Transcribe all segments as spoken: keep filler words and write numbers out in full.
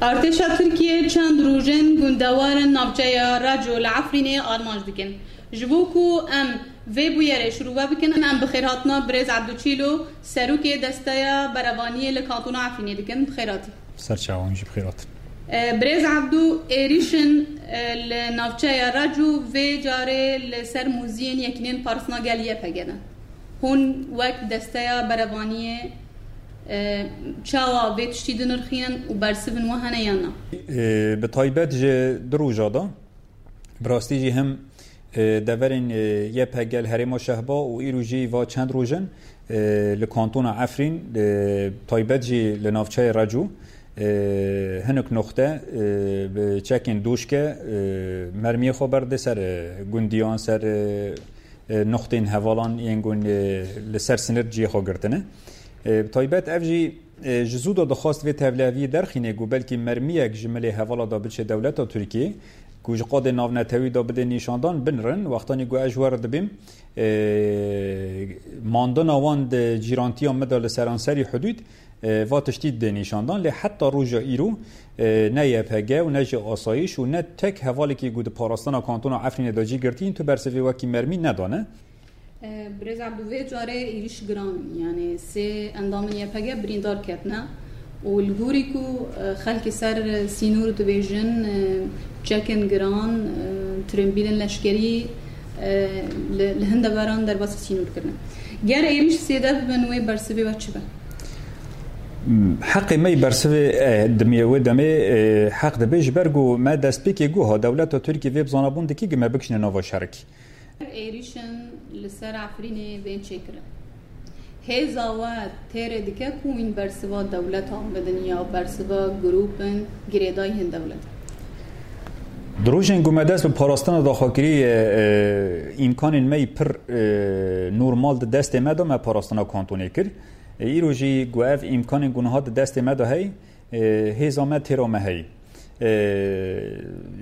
Artêşa Tirkiyê çend roj in gundewarên navçeya Reco li Efrînê armanc dikin. Ji bo ku em vê bûyerê şirove bikin, em bi xêrhatina birêz Ebdû Çîlo, serokê Desteya Berevaniyê li Kantona Efrînê dikin. Bi xêr hatî. Ser çavan jî bi xêr hatin. E, Birêz Ebdû, êrîşin, e, li navçeya Reco vê carê li ser muziyên Yekînên Parastina Gel Y P G ne. Hûn wek Desteya Berevaniyê, e, çawa vê tiştî dinirxînin û bersivin we hene yan na? E, bi taybet ji du roja de, bi rastî jî him, e, deverên, e, Y P G li herêma Şehba û îro jî va çend roj in, e, li kantona Efrîn, e, taybet jî li navçeyê Reco, e, hinek noxte, e, bi çekên doşke, e, mermiyê xwe berde ser, e, gundiyan, ser, e, e, noxtên hevalan yên ku, e, li ser sinir cihê xwe girtine. E, bi taybet ev jî, e, ji zû de dixwast vê tevliheviyê derxîne ku belkî mermiyek ji milê hevala de biçe dewleta Tirkiyê, ku ji qadê navnetewî de bide nîşandan, binirin. Wextanî ku ez ji we re dibêm, e, mandina wan di cîrantiya me de li seranserî hudûd, e, va tiştî dide nîşandan, lê heta roja îro, e, ne Y P G û ne jî asayîş û ne tek hevalekî ku di parastina kantona Efrînê de cî girtîn, tu bersivê wekî mermî nedane. E, Birêz Ebdû, vê carê êrîş giran in, yanî sê endamên Y P G birîndar ketine û li gorî ku, e, xelkê ser sînor dibêjin, e, çekin giran, e, tirênbîlên leşkerî, e, li, li hin deveran derbasî sînor kirine. Ger êrîş zêde bibin, wê bersivê we çi be? Heqê me yî bersivê, e, dimê wê demê, e, heq dibe, ji ber ku me destpêkê got, dewleta Tirkiyê vê bi zanabûn dike ku me bikişîne nava şerekî. Êrîşin li ser Efrînê bên çêkirin. Hêza we têrê dike ku hûn bersiva dewletan bidin ya bersiva grûpên girêdayî hin dewletan? Di rojên ku me dest bi parastina daxwe kiriye, e, îmkanên me yî pir, e, normal di destê me de me parastina kantonê kir. E, îro jî ku ev îmkanên ku niha di destê me de heye, e, hêza me têra me heye. E,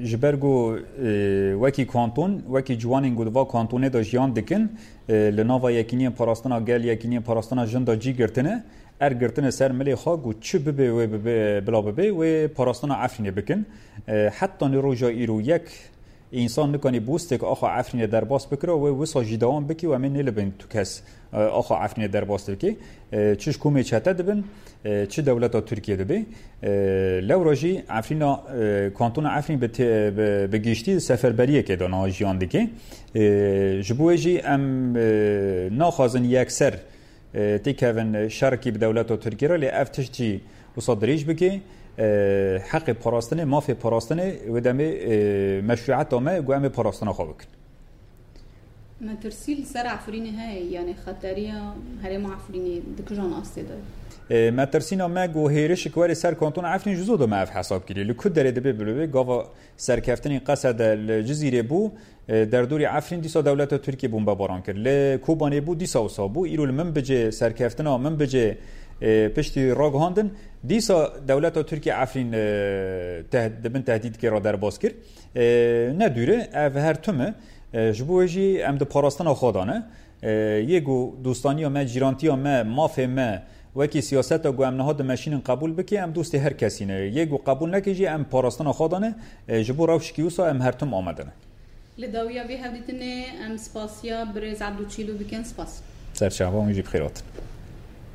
ji ber ku, e, wekî kanton, wekî ciwanên ku di va kantonê de jiyan dikin, e, li nava Yekîniyên Parastina Gel, Yekîniyên Parastina Jin de cî girtine, er girtine ser milê xwe ku çi bibe wê bibe, bila bibe, wê parastina Efrînê bikin. E, heta ni roja îro yek însan nikanî bûstek axa Efrînê derbas bikira, wê wisa jî dewam bikî û em ê nêlibin tu kes, e, axa Efrînê derbas dike. E, çi ji komê çete dibin, e, çi dewleta Tirkiye dibe. E, lewra jî Efrîna, e, kantona Efrîn bi te-, bi, bi giştî seferberiyekê de niha jiyan dike. E, ji bo wê jî em, e, naxwazin yekser, e, têkevin şerekî bi dewleta Tirkiye re, lê ev tişt jî wisa dirêj bike. E, heqê parastinê, mafê parastinê wê demê, e, meşruiyeta me ku em ê parastina xwe bikin. Metirsî li ser Efrînê heye, yanî xeteriya herêma Efrînê di kijan astê de? E, metirsîna me ku hêrişik were ser kantona Efrîn ji zû de me ev hesab kiriye. Li ku derê dibe bibe, gava serkeftinên Qesede li Cizîrê bû, e, derdorê Efrîn dîsa dewleta Tirkiye bombebaran kir. Li Kobanê bû, dîsa wisa bû. Îro li Minbicê serkeftina Minbicê, e, piştî ragihandin. Dîsa dewleta Tirkiye Efrîn, e, teh-, di bin tehdîdkê re derbas kir. E, ne dûr e, ev her tim e. E, ji bo wê jî em di parastina xwe de ne. E, yê ku dostaniya me, cîrantiya me, mafê me, wekî siyaseta ku em niha dimeşînin qebûl bike, em dostê her kesî ne. Yê ku qebûl neke jî em parastina xwe de ne. E, ji bo rewşekî wisa em her tim amade ne. Li dawiya vê hevdîtinê em spasiya birêz Ebdû Çîlû bikin. Spas. Serçava hûn jî bi xêr hatin.